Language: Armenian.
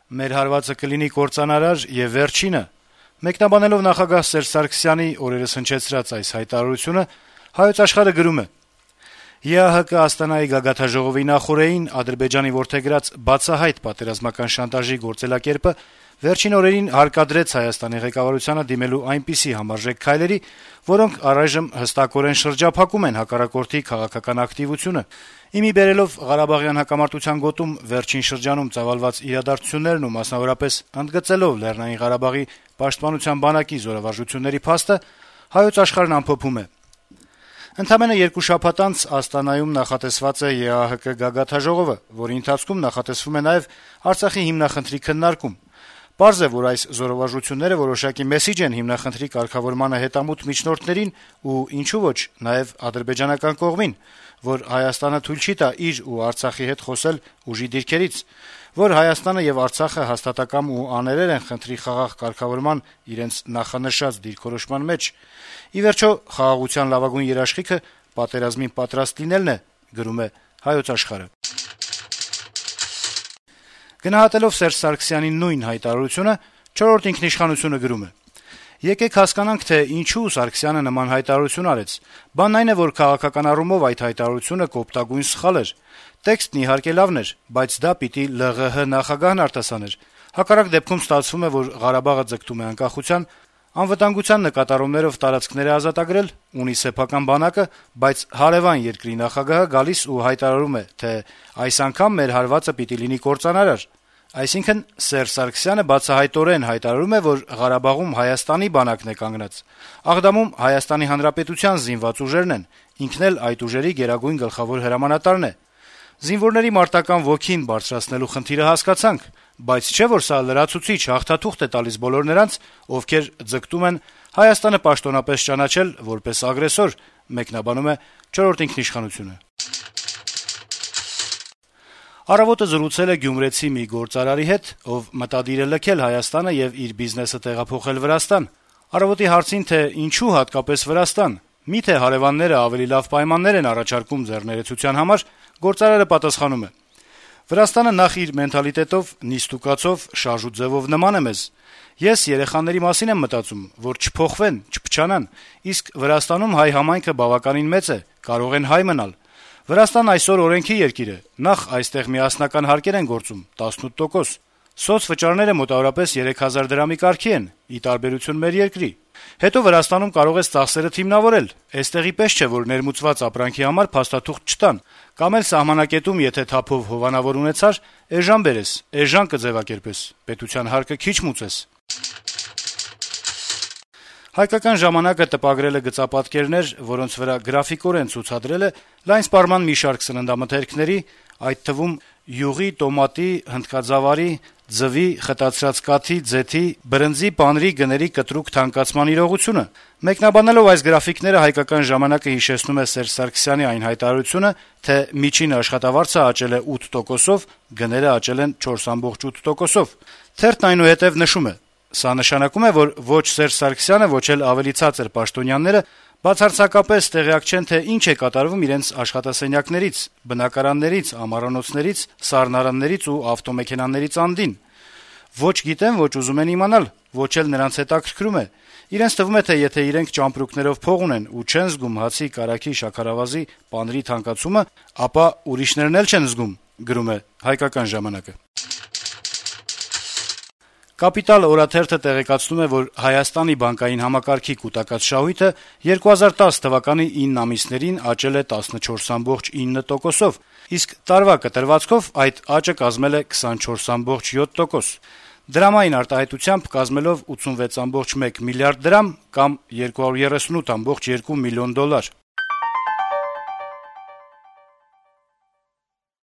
մեր հարվածը կլինի կործանարար եւ վերջինը»: Մեկնաբանելով նախագահ Սերժ Սարգսյանի օրերս հնչեցրած այս հայտարարությունը, «Հայոց Աշխարհ»-ը գրում է. - «ԵԱՀԿ Աստանայի գագաթնաժողովի նախօրեին Ադրբեջանի որդեգրած բացահայտ պատերազմական շանտաժի գործելակերպը վերջին օրերին հարկադրեց Հայաստանի ղեկավարությանը դիմելու այնպիսի համարժեք քայլերի, որոնք առայժմ հստակորեն շրջափակում են հակառակորդի քաղաքական ակտիվությունը: Իմի բերելով Ղարաբաղյան հակամարտության գոտում վերջին շրջանում ծավալված իրադարձություններն ու մասնավորապես ընդգծելով Լեռնային Ղարաբաղի պաշտպանության բանակի զորավարժությունների փաստը, «Հայոց Աշխարհ»-ն ամփոփում է. - «Ընդամենը 2 շաբաթ անց Աստանայում նախատեսված է ԵԱՀԿ գագաթնաժողովը, որի ընթացքում նախատեսվում է նաեւ Արցախի հիմնախնդրի քննարկում: Պարզ է, որ այս զորավարժությունները որոշակի մեսիջ են հիմնախնդրի կարգավորմանը հետամուտ միջնորդներին ու, ինչու ոչ, նաեւ ադրբեջանական կողմին, որ Հայաստանը թույլ չի տա իր ու Արցախի հետ խոսել ուժի դիրքերից, որ Հայաստանը եւ Արցախը հաստատակամ ու աներեր են խնդրի խաղաղ կարգավորման իրենց նախանշած դիրքորոշման մեջ: Ի վերջո, խաղաղության լավագույն երաշխիքը պատերազմին պատրաստ լինելն է»: Գնահատելով Սերժ Սարգսյանի նույն հայտարարությունը, «Չորրորդ ինքնիշխանություն»-ը գրում է. - «Եկեք հասկանանք, թե ինչու Սարգսյանը նման հայտարարություն արեց: Բանն այն է, որ քաղաքական առումով այդ հայտարարությունը կոպտագույն սխալ էր: Տեքստն իհարկե լավն էր, բայց դա պիտի ԼՂՀ նախագահն արտասաներ: Հակառակ դեպքում ստացվում է, որ Ղարաբաղը ձգտում է անկախության, անվտանգության նկատառումներով տարածքներ է ազատագրել, ունի սեփական բանակը, բայց հարեւան երկրի նախագահը գալիս ու հայտարարում է, թե այս անգամ մեր հարվածը պիտի լինի կործանարար: Այսինքն` Սերժ Սարգսյանը բացահայտորեն հայտարարում է, որ Ղարաբաղում Հայաստանի բանակն է կանգնած: Աղդամում Հայաստանի Հանրապետության զինված ուժերն են, ինքն էլ այդ ուժերի գերագույն գլխավոր հրամանատարն է: Զինվորների մարտական ոգին բարձրացնելու խնդիրը հասկացանք, բայց չէ՞ որ սա լրացուցիչ հաղթաթուղթ է տալիս բոլոր նրանց, ովքեր ձգտում են Հայաստանը պաշտոնապես ճանաչել որպես ագրեսոր»: «Առավոտ»-ը զրուցել է գյումրեցի մի գործարարի հետ, ով մտադիր է լքել Հայաստանը եւ իր բիզնեսը տեղափոխել Վրաստան: «Առավոտ»-ի հարցին, թե ինչու հատկապես Վրաստան, միթե հարեւանները ավելի լավ պայմաններ են առաջարկում ձեռներեցության համար, գործարարը պատասխանում է. - «Վրաստանը նախ իր մենթալիտետով, նիստուկացով, շարժուձեւով նման է մեզ: Ես երեխաների մասին եմ մտածում, որ չփոխվեն, չփչանան, իսկ Վրաստանում հայ համայնքը բավականին մեծ է, կարող են հայ մնալ: Վրաստանն այսօր օրենքի երկիր է: Նախ այստեղ միասնական հարկեր են գործում 18%, սոցվճարները մոտավորապես 3000 դրամի կարգի են, ի տարբերություն մեր երկրի: Հետո Վրաստանում կարող ես ծախսերը թիմնավորել, էստեղի պես չէ, որ ներմուծված ապրանքի համար փաստաթուղթ չտան, կամ էլ սահմանակետում եթե թափով հովանավոր ունեցար, էժան բերես, էժան կձեւակերպես, պետության հարկը քիչ մուծես»: «Հայկական ժամանակ»-ը տպագրել է գծապատկերներ, որոնց վրա գրաֆիկորեն ցուցադրել է լայն սպառման մի շարք սննդամթերքների, այդ թվում յուղի, տոմատի, հնդկաձավարի, ձվի, խտացրած կաթի, ձեթի, բրնձի, պանրի գների կտրուկ թանկացման իրողությունը: Մեկնաբանելով այս գրաֆիկները, «Հայկական ժամանակ»-ը հիշեցնում է Սերժ Սարգսյանի այն հայտարարությունը, թե միջին աշխատավարձը աճել է 8%-ով, գները աճել են 4.8%-ով: Թերթն այնուհետեւ նշում է. - «Սա նշանակում է, որ ոչ Սերժ Սարգսյանը, ոչ էլ ավելի ցածր պաշտոնյաները բացարձակապես տեղյակ չեն, թե ինչ է կատարվում իրենց աշխատասենյակներից, բնակարաններից, ամառանոցներից, սառնարաններից ու ավտոմեքենաներից անդին: Ոչ գիտեն, ոչ ուզում են իմանալ, ոչ էլ նրանց հետաքրքրում է: Իրենց թվում է, թե եթե իրենք ճամպրուկներով փող ունեն ու չեն զգում հացի, կարագի, շաքարավազի, պանրի թանկացումը, ապա ուրիշներն էլ չեն զգում»: «Կապիտալ» օրաթերթը տեղեկացնում է, որ Հայաստանի բանկային համակարգի կուտակած շահույթը 2010 թվականի 9 ամիսներին աճել է 14.9%-ով, իսկ տարվա կտրվածքով այդ աճը կազմել է 24.7%: Դրամային արտահայտությամբ կազմելով 86.1 միլիարդ դրամ կամ $238.2 միլիոն: